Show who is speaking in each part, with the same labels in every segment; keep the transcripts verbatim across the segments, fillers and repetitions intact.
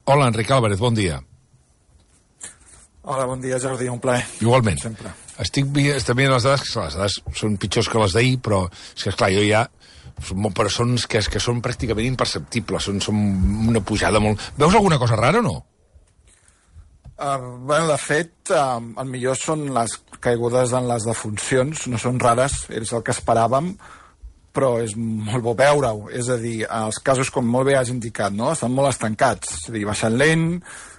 Speaker 1: Hola, Enric Álvarez, bon dia.
Speaker 2: Hola, bon dia, Jordi, un plaer.
Speaker 1: Igualment.
Speaker 2: Sempre.
Speaker 1: Estic veient les dades, que les dades són pitjors que les d'ahir, però és que, esclar, jo ja... Però són, que, que són pràcticament imperceptibles, són, són una pujada molt... Veus alguna cosa rara o no?
Speaker 2: Uh, bueno, de fet, uh, el millor són les caigudes en les defuncions, no són rares, és el que esperàvem, però és molt bo veure-ho. És a dir, els casos, com molt bé has indicat, no? Estan molt estancats, és a dir, baixant lent.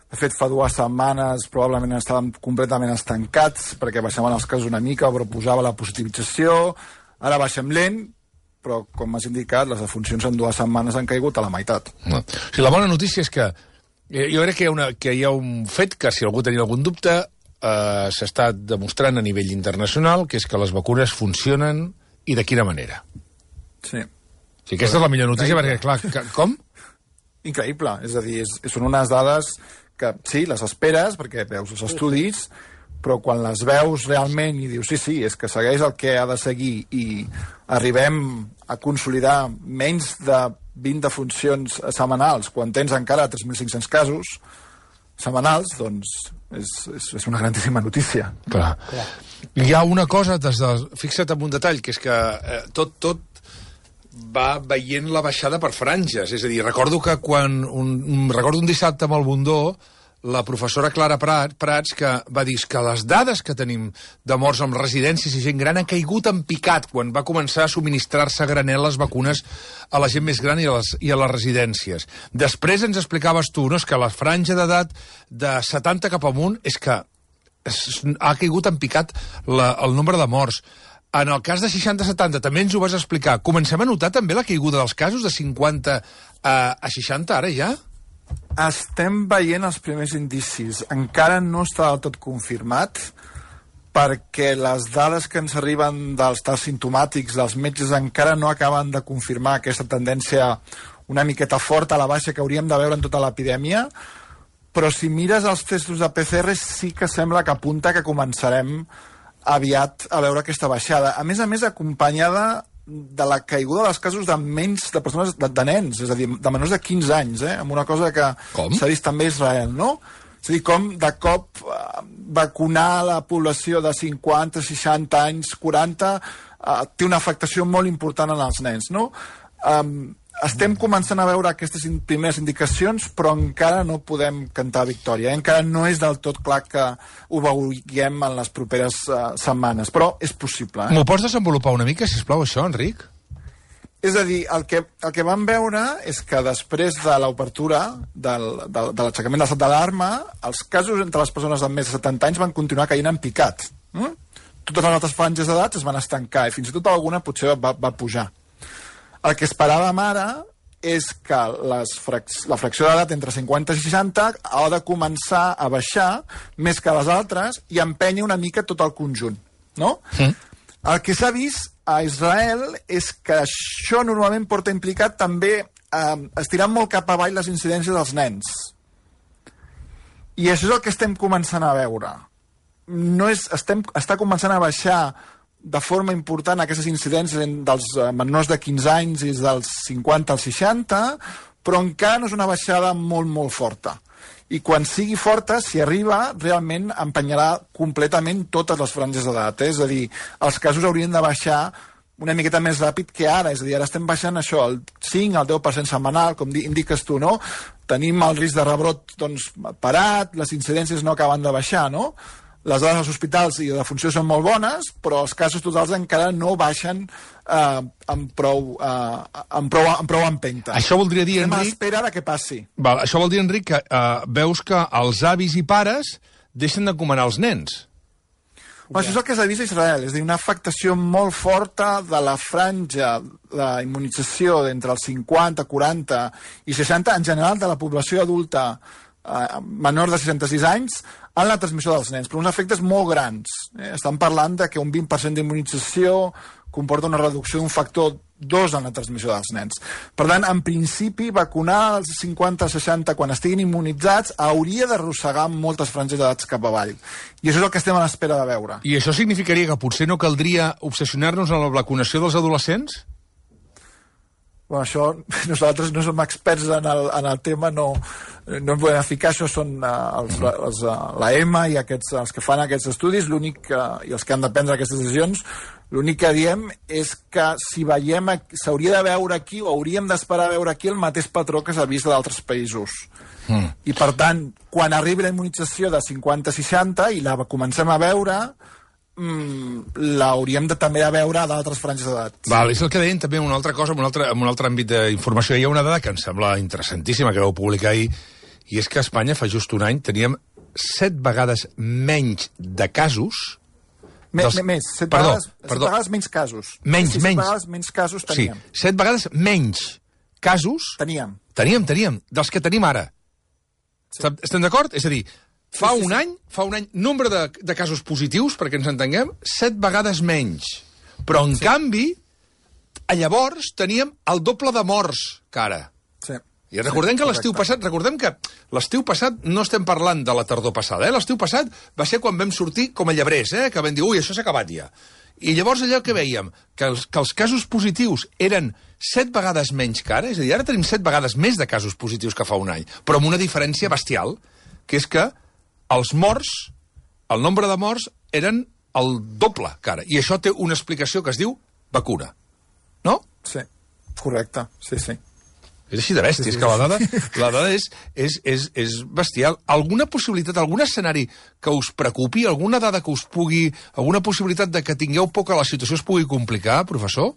Speaker 2: De fet, fa dues setmanes probablement estàvem completament estancats perquè baixaven els casos una mica, però posava la positivització. Ara baixem lent, però, com has indicat, les defuncions en dues setmanes han caigut a la meitat.
Speaker 1: No. O sigui, la bona notícia és que eh, jo crec que hi, ha una, que hi ha un fet que, si algú tenia algun dubte, eh, s'està demostrant a nivell internacional, que és que les vacunes funcionen i de quina manera.
Speaker 2: Sí.
Speaker 1: O sigui, aquesta és la millor notícia,
Speaker 2: Increïble.
Speaker 1: perquè, clar, que, com?
Speaker 2: Increïble, és a dir, és, són unes dades que sí, les esperes, perquè veus els estudis, però quan les veus realment i dius, sí, sí, és que segueix el que ha de seguir i arribem a consolidar menys de vint defuncions setmanals, quan tens encara tres mil cinc-cents casos setmanals, doncs és, és, és una grandíssima notícia.
Speaker 1: Clar. Clar. Hi ha una cosa, des de... fixa't en un detall, que és que eh, tot, tot va veient la baixada per franges. És a dir, recordo que quan... Un, recordo un dissabte amb el Bundó, la professora Clara Prats, que va dir que les dades que tenim de morts amb residències i gent gran han caigut en picat quan va començar a subministrar-se a granel les vacunes a la gent més gran i a les, i a les residències. Després ens explicaves tu, no? És que la franja d'edat de setanta cap amunt és que es, ha caigut en picat la, el nombre de morts. En el cas de seixanta a setanta també ens ho vas explicar. Comencem a notar també la caiguda dels casos de cinquanta a, a seixanta ara ja?
Speaker 2: Estem veient els primers indicis. Encara no està del tot confirmat, perquè les dades que ens arriben dels tests simptomàtics dels metges encara no acaben de confirmar aquesta tendència una miqueta forta a la baixa que hauríem de veure en tota l'epidèmia, però si mires els testos de P C R sí que sembla que apunta que començarem aviat a veure aquesta baixada. A més a més, acompanyada de la caiguda dels casos de menys de persones, de, de nens, és a dir, de menors de quinze anys, eh? Amb una cosa que s'ha vist també a Israel, no? És a dir, com de cop eh, vacunar la població de cinquanta, seixanta anys, quaranta, eh, té una afectació molt important en els nens, no? Um, estem començant a veure aquestes in primeres indicacions, però encara no podem cantar victòria. Eh? Encara no és del tot clar que ho veurem en les properes uh, setmanes, però és possible. Eh?
Speaker 1: M'ho pots desenvolupar una mica, sisplau, això, Enric?
Speaker 2: És a dir, el que, el que vam veure és que després de l'obertura del, de, de l'aixecament de l'estat d'alarma, els casos entre les persones de més de setanta anys van continuar caient en picat. Mm? Totes les altres franges d'edat es van estancar i fins i tot alguna potser va, va pujar. El que esperàvem ara és que les frac la fracció d'edat entre cinquanta i seixanta ha de començar a baixar més que les altres i empènyer una mica tot el conjunt, no? Sí. El que s'ha vist a Israel és que això normalment porta implicat també eh, estirar molt cap avall les incidències dels nens. I això és el que estem començant a veure. No és, estem, està començant a baixar de forma important aquestes incidències dels menors de quinze anys i dels cinquanta als seixanta, però encara no és una baixada molt, molt forta. I quan sigui forta, si arriba, realment empenyarà completament totes les franges d'edat. Eh? És a dir, els casos haurien de baixar una miqueta més ràpid que ara. És a dir, ara estem baixant això, el cinc al deu per cent setmanal, com indiques tu, no? Tenim el risc de rebrot doncs, parat, les incidències no acaben de baixar, no? Les dades als hospitals i de funció són molt bones, però els casos totals encara no baixen eh, amb, prou, eh, amb, prou, amb prou empenta.
Speaker 1: Això voldria dir,
Speaker 2: Estem
Speaker 1: Enric...
Speaker 2: a l'espera de què passi.
Speaker 1: Val, això vol dir, Enric, que eh, veus que els avis i pares deixen d'encomanar els nens.
Speaker 2: Bueno, això és el que s'ha vist a Israel, és a dir, una afectació molt forta de la franja d'immunització d'entre els cinquanta, quaranta i seixanta, en general de la població adulta eh, menor de seixanta-sis anys, en la transmissió dels nens, però uns efectes molt grans. Eh? Estan parlant de que un vint per cent d'immunització comporta una reducció d'un factor dos en la transmissió dels nens. Per tant, en principi, vacunar als cinquanta a seixanta quan estiguin immunitzats hauria d'arrossegar moltes franges d'edats cap avall. I això és el que estem a l'espera de veure.
Speaker 1: I això significaria que potser no caldria obsessionar-nos en la vacunació dels adolescents?
Speaker 2: Bueno, això, nosaltres no som experts en el, en el tema, no, no en podem ficar, això són uh, els, els, uh, la E M A i aquests, els que fan aquests estudis, l'únic uh, i els que han de prendre aquestes decisions, l'únic que diem és que si veiem, s'hauria de veure aquí, o hauríem d'esperar a veure aquí el mateix patró que s'ha vist d'altres països. Mm. I per tant, quan arribi la immunització de cinquanta a seixanta i la comencem a veure, mm, l'hauríem de, també de veure a d'altres franges d'edat.
Speaker 1: Val, és el que deien també una altra cosa, en un altre, en un altre àmbit d'informació. Hi ha una dada que em sembla interessantíssima, que vau publicar ahir, i és que a Espanya fa just un any teníem set vegades menys de casos...
Speaker 2: Me, dels... Més, set, perdó, vegades, set
Speaker 1: perdó.
Speaker 2: vegades menys casos.
Speaker 1: Menys,
Speaker 2: sí,
Speaker 1: menys.
Speaker 2: Set vegades menys casos teníem.
Speaker 1: Sí, set vegades menys casos...
Speaker 2: Teníem.
Speaker 1: Teníem, teníem, dels que tenim ara. Sí. Estem d'acord? És a dir, fa sí, sí, un sí. any, fa un any, nombre de, de casos positius, perquè ens entenguem, set vegades menys. Però, en sí. canvi, llavors teníem el doble de morts que ara.
Speaker 2: Sí.
Speaker 1: I recordem que l'estiu passat, recordem que l'estiu passat no estem parlant de la tardor passada, eh? L'estiu passat va ser quan vam sortir com a llebrers, eh? Que vam dir, ui, això s'ha acabat ja. I llavors allò que veiem, que els, que els casos positius eren set vegades menys que ara, és a dir, ara tenim set vegades més de casos positius que fa un any, però amb una diferència bestial, que és que els morts, el nombre de morts, eren el doble que ara. I això té una explicació que es diu vacuna. No?
Speaker 2: Sí, correcte, sí, sí.
Speaker 1: És així de bèstia, sí, sí. És que la dada, la dada és, és, és, és bestial. Alguna possibilitat, algun escenari que us preocupi, alguna dada que us pugui, alguna possibilitat de que tingueu por que la situació es pugui complicar, professor?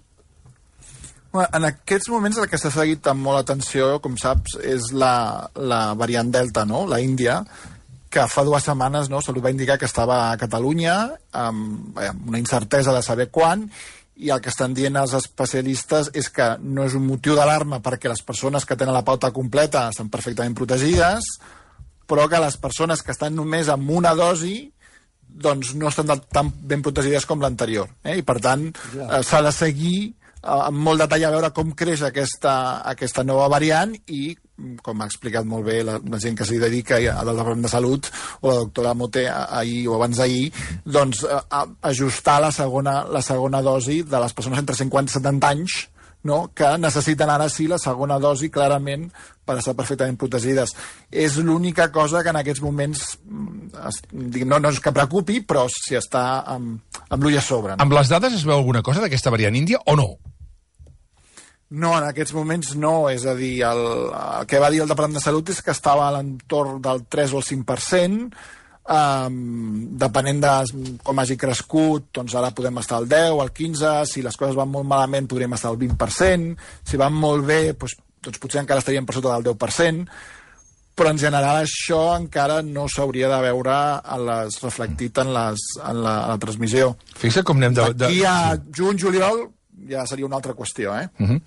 Speaker 2: Bueno, en aquests moments el que s'ha seguit amb molt atenció, com saps, és la, la variant Delta, no? La Índia, que fa dues setmanes, no, Salut va indicar que estava a Catalunya, amb, amb una incertesa de saber quan, i el que estan dient els especialistes és que no és un motiu d'alarma perquè les persones que tenen la pauta completa estan perfectament protegides, però que les persones que estan només amb una dosi doncs no estan tan ben protegides com l'anterior. Eh? I per tant eh, s'ha de seguir eh, amb molt detall a veure com creix aquesta, aquesta nova variant i, com ha explicat molt bé la, la gent que s'hi dedica al Departament de Salut o la doctora Moté ahir o abans d'ahir, doncs a, a ajustar la segona, la segona dosi de les persones entre cinquanta i setanta anys, no? Que necessiten ara sí la segona dosi clarament per estar perfectament protegides. És l'única cosa que en aquests moments es, no, no és que preocupi, però si està amb, amb l'ull a sobre. No?
Speaker 1: Amb les dades es veu alguna cosa d'aquesta variant índia o no?
Speaker 2: No, en aquests moments no. És a dir, el, el que va dir el Departament de Salut és que estava a l'entorn del tres o el cinc per cent, um, depenent de com hagi crescut, doncs ara podem estar al deu, al quinze, si les coses van molt malament podríem estar al vint per cent, si van molt bé, doncs, doncs potser encara estaríem per sota del deu per cent, però en general això encara no s'hauria de veure a les, reflectit en, les, en, la, en la transmissió.
Speaker 1: Fixa com anem de... de...
Speaker 2: D'aquí a juny, juliol, ja seria una altra qüestió, eh?
Speaker 1: Uh -huh.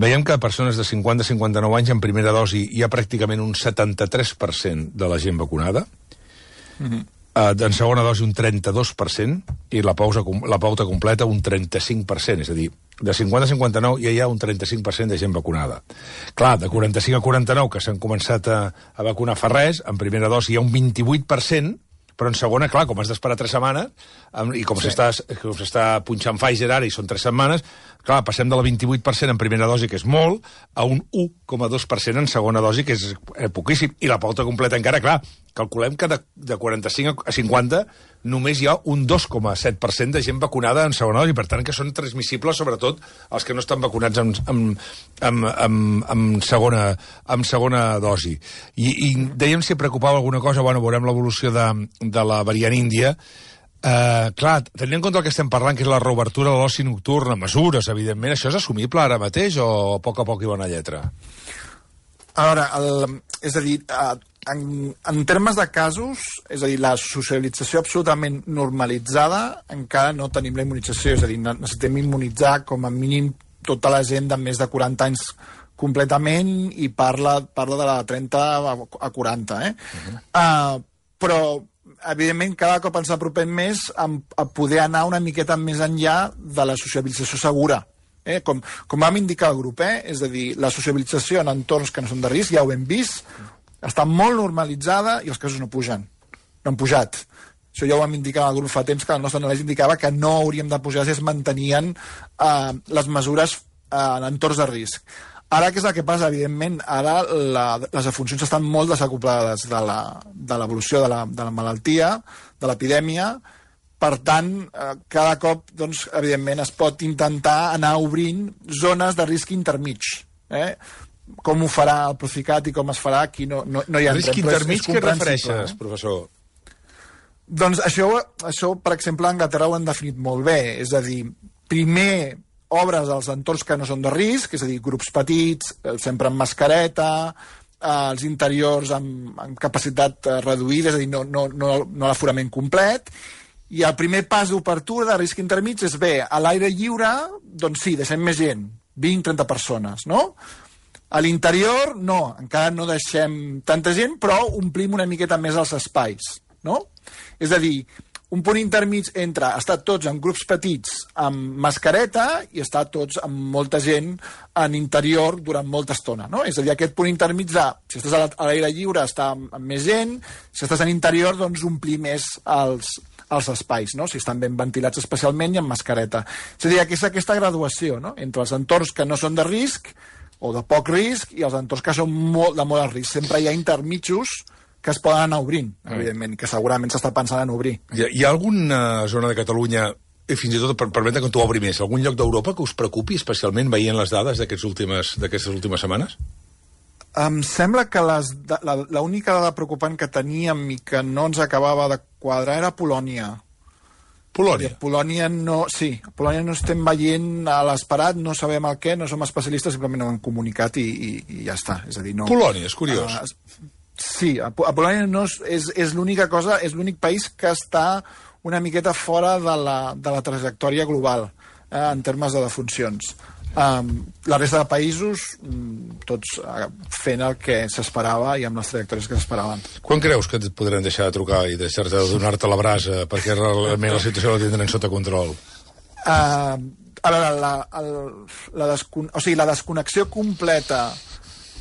Speaker 1: Veiem que persones de cinquanta a cinquanta-nou anys en primera dosi hi ha pràcticament un setanta-tres per cent de la gent vacunada, uh -huh. uh, en segona dosi un trenta-dos per cent i la pausa, la pauta completa un trenta-cinc per cent, és a dir, de cinquanta a cinquanta-nou ja hi ha un trenta-cinc per cent de gent vacunada. Clar, de quaranta-cinc a quaranta-nou, que s'han començat a, a vacunar fa res, en primera dosi hi ha un vint-i-vuit per cent, però en segona, clar, com has d'esperar tres setmanes, i com sí. s'està punxant Pfizer ara i són tres setmanes, clar, passem de la vint-i-vuit per cent en primera dosi, que és molt, a un u coma dos per cent en segona dosi, que és eh, poquíssim. I la pauta completa encara, clar, calculem que de, de quaranta-cinc a cinquanta només hi ha un dos coma set per cent de gent vacunada en segona dosi, per tant que són transmissibles, sobretot els que no estan vacunats amb, amb, amb, amb, amb, segona, amb segona dosi. I, i dèiem si preocupava alguna cosa, bueno, veurem l'evolució de, de la variant índia. Uh, clar, tenint en compte el que estem parlant, que és la reobertura de l'oci nocturn, mesures, evidentment, això és assumible ara mateix o a poc a poc i bona lletra?
Speaker 2: A veure, el, és a dir, en, en termes de casos, és a dir, la socialització absolutament normalitzada, encara no tenim la immunització, és a dir, necessitem immunitzar com a mínim tota la gent de més de quaranta anys completament i parla, parla de la trenta a quaranta, eh? Uh-huh. Uh, però evidentment, cada cop ens apropem més a, a poder anar una miqueta més enllà de la sociabilització segura. Eh? Com, com vam indicar al grup, eh? És a dir, la sociabilització en entorns que no són de risc, ja ho hem vist, està molt normalitzada i els casos no pugen. No han pujat. Això ja ho vam indicar al grup fa temps, que el nostre anàlisi indicava que no hauríem de pujar si es mantenien eh, les mesures en entorns de risc. Ara, què és el que passa? Evidentment, ara la, les defuncions estan molt desacoplades de l'evolució de, la, de la malaltia, de l'epidèmia. Per tant, eh, cada cop, doncs, evidentment, es pot intentar anar obrint zones de risc intermig. Eh? Com ho farà el Procicat i com es farà, aquí no, no, no hi ha...
Speaker 1: Risc intermig, què refereixes, eh? professor?
Speaker 2: Doncs això, això, per exemple, a Anglaterra ho han definit molt bé. És a dir, primer obres als entorns que no són de risc, és a dir, grups petits, sempre amb mascareta, els interiors amb, amb capacitat reduïda, és a dir, no, no, no, no l'aforament complet, i el primer pas d'obertura de risc intermig és bé, a l'aire lliure, doncs sí, deixem més gent, vint a trenta persones, no? A l'interior, no, encara no deixem tanta gent, però omplim una miqueta més els espais, no? És a dir, un punt intermig entre estar tots en grups petits amb mascareta i estar tots amb molta gent en interior durant molta estona, no? És a dir, aquest punt intermig de, si estàs a l'aire lliure, estar amb, amb més gent, si estàs en interior, doncs omplir més els, els espais, no? Si estan ben ventilats especialment i amb mascareta. És a dir, aquesta, aquesta graduació, no? Entre els entorns que no són de risc o de poc risc i els entorns que són molt, de molt alt risc. Sempre hi ha intermitjos que es poden anar obrint, evidentment, que segurament s'està pensant en obrir.
Speaker 1: Hi ha, hi ha alguna zona de Catalunya, i fins i tot per permetre que t'ho obri més, algun lloc d'Europa que us preocupi especialment veient les dades d'aquestes últimes, d'aquestes últimes setmanes?
Speaker 2: Em sembla que l'única dada preocupant que teníem i que no ens acabava de quadrar era Polònia.
Speaker 1: Polònia?
Speaker 2: A Polònia no, sí, a Polònia no estem veient a l'esperat, no sabem el què, no som especialistes, simplement no ho hem comunicat i, i, i ja està. És a dir, no...
Speaker 1: Polònia, és curiós.
Speaker 2: Uh, sí, a, a Polònia no és, és, és l'única cosa, és l'únic país que està una miqueta fora de la, de la trajectòria global eh, en termes de defuncions. Um, la resta de països, tots uh, fent el que s'esperava i amb les trajectòries que s'esperaven.
Speaker 1: Quan creus que et podran deixar de trucar i deixar-te de donar-te la brasa perquè realment la situació la tindran sota control?
Speaker 2: Uh, a veure, la, el, la, descon o sigui, la desconnexió completa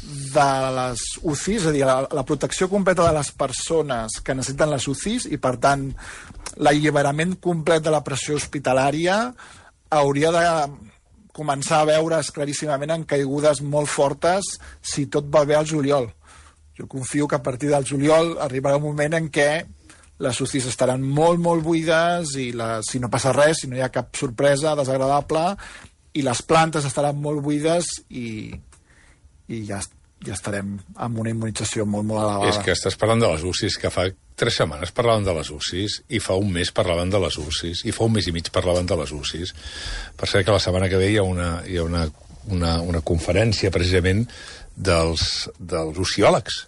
Speaker 2: de les U C Is, és a dir, la, la protecció completa de les persones que necessiten les U C Is i, per tant, l'alliberament complet de la pressió hospitalària hauria de començar a veure's claríssimament en caigudes molt fortes si tot va bé al juliol. Jo confio que a partir del juliol arribarà un moment en què les U C Is estaran molt, molt buides i la, si no passa res, si no hi ha cap sorpresa desagradable, i les plantes estaran molt buides i, i ja, ja estarem amb una immunització molt, molt elevada.
Speaker 1: És que estàs parlant de les U C Is, que fa tres setmanes parlaven de les U C Is, i fa un mes parlaven de les U C Is, i fa un mes i mig parlaven de les U C Is. Per cert que la setmana que ve hi ha una, hi ha una, una, una conferència, precisament, dels, dels uciòlegs.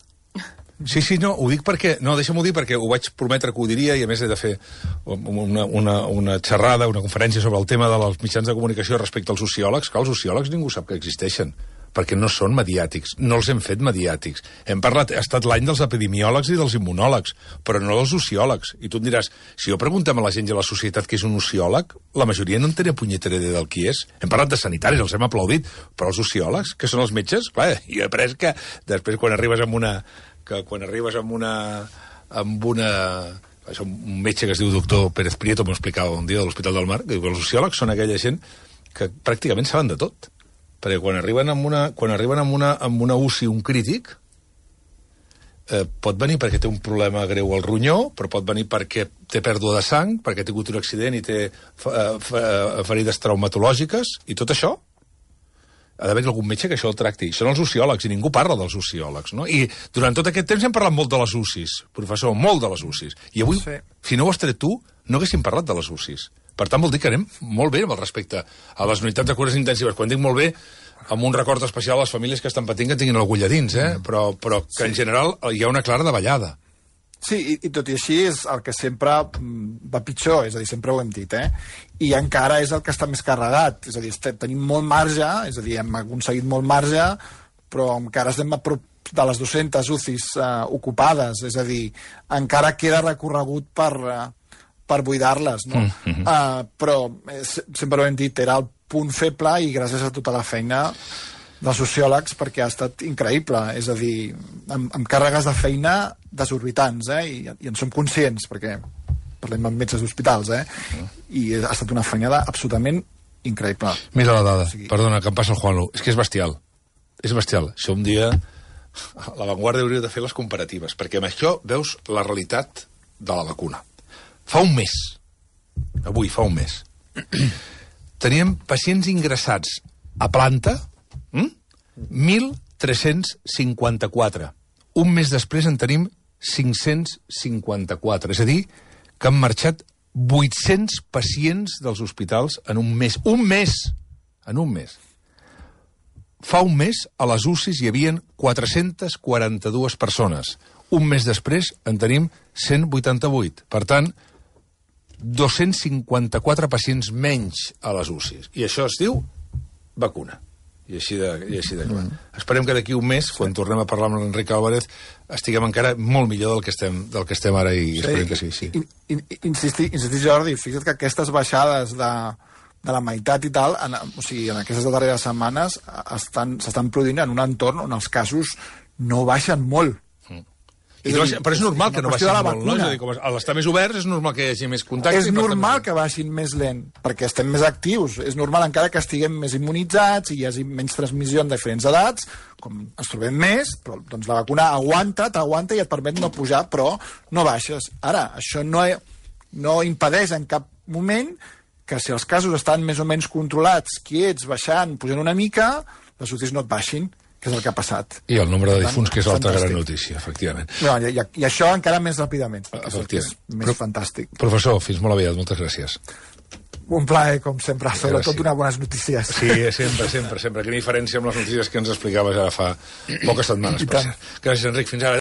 Speaker 1: Sí, sí, no, ho dic perquè... No, deixa'm-ho dir perquè ho vaig prometre que ho diria i a més he de fer una, una, una xerrada, una conferència sobre el tema dels mitjans de comunicació respecte als sociòlegs. Que els sociòlegs ningú sap que existeixen, perquè no són mediàtics, no els hem fet mediàtics. Hem parlat, ha estat l'any dels epidemiòlegs i dels immunòlegs, però no dels sociòlegs. I tu em diràs, si jo preguntem a la gent i a la societat què és un sociòleg, la majoria no en tenia punyetera idea del qui és. Hem parlat de sanitaris, els hem aplaudit, però els sociòlegs, que són els metges, clar, jo he après que després quan arribes amb una... que quan arribes amb una... amb una... un metge que es diu doctor Pérez Prieto, m'ho explicava un dia de l'Hospital del Mar, que diu que els sociòlegs són aquella gent que pràcticament saben de tot. Perquè quan arriben amb una, quan arriben amb una, amb una U C I un crític, eh, pot venir perquè té un problema greu al ronyó, però pot venir perquè té pèrdua de sang, perquè ha tingut un accident i té fa, fa, ferides traumatològiques, i tot això ha d'haver algun metge que això el tracti. Són els sociòlegs, i ningú parla dels sociòlegs, no? I durant tot aquest temps hem parlat molt de les U C Is, professor, molt de les U C Is. I avui, sí. Si no ho has tret tu, no haguéssim parlat de les U C Is. Per tant, vol dir que anem molt bé amb el respecte a les unitats de cures intensives. Quan dic molt bé, amb un record especial a les famílies que estan patint que tinguin l'agulla dins, eh? Mm. Però, però que sí. En general hi ha una clara davallada.
Speaker 2: Sí, i, i tot i així és el que sempre va pitjor, és a dir, sempre ho hem dit, eh? I encara és el que està més carregat, és a dir, tenim molt marge, és a dir, hem aconseguit molt marge, però encara estem a prop de les dues-centes U C Is uh, ocupades, és a dir, encara queda recorregut per, uh, per buidar-les, no? Mm-hmm. uh, però eh, sempre ho hem dit, era el punt feble i gràcies a tota la feina dels sociòlegs, perquè ha estat increïble, és a dir, amb, amb càrregues de feina desorbitants, eh? I, i en som conscients, perquè parlem amb metges d'hospitals, eh? I ha estat una feinada absolutament increïble.
Speaker 1: Mira la dada, sí. Perdona, que em passa el Juanlu. És que és bestial. És bestial. Això un dia... A La Vanguardia hauria de fer les comparatives, perquè amb això veus la realitat de la vacuna. Fa un mes, avui fa un mes, teníem pacients ingressats a planta, hm? mil tres-cents cinquanta-quatre. Un mes després en tenim cinc-cents cinquanta-quatre. És a dir, que han marxat vuit-cents pacients dels hospitals en un mes. Un mes! En un mes. Fa un mes, a les U C Is hi havia quatre-centes quaranta-dues persones. Un mes després en tenim cent vuitanta-vuit. Per tant, dos-cents cinquanta-quatre pacients menys a les U C Is. I això es diu vacuna. I així de, i així de clar. Mm. Esperem que d'aquí un mes, sí. Quan tornem a parlar amb l'Enric Álvarez, estiguem encara molt millor del que estem, del que estem ara i sí. Esperem que sigui així. Sí.
Speaker 2: In, in, insistir, insistir, Jordi, fixa't que aquestes baixades de, de la meitat i tal, en, o sigui, en aquestes darreres setmanes s'estan produint en un entorn on els casos no baixen molt.
Speaker 1: I no, però és normal que no baixin molt, no? És a dir, com a l'estar més oberts és normal que hi hagi més contacte.
Speaker 2: És normal que baixin més lent, perquè estem més actius. És normal encara que estiguem més immunitzats i hi hagi menys transmissió en diferents edats, com ens trobem més, però doncs la vacuna aguanta, t'aguanta i et permet no pujar, però no baixes. Ara, això no, no impedeix en cap moment que si els casos estan més o menys controlats, quiets, baixant, pujant una mica, les U C Is no et baixin, que és el que ha passat.
Speaker 1: I el nombre de difunts, que és l'altra gran notícia, efectivament.
Speaker 2: No, i, i això encara més ràpidament, que és més Pro fantàstic.
Speaker 1: Professor, fins molt aviat, moltes gràcies.
Speaker 2: Un plaer, com sempre, sobretot unes bones notícies.
Speaker 1: Sí, sempre, sempre, sempre. Quina diferència amb les notícies que ens explicaves ara fa poques setmanes. Per cert. Gràcies, Enric, fins ara.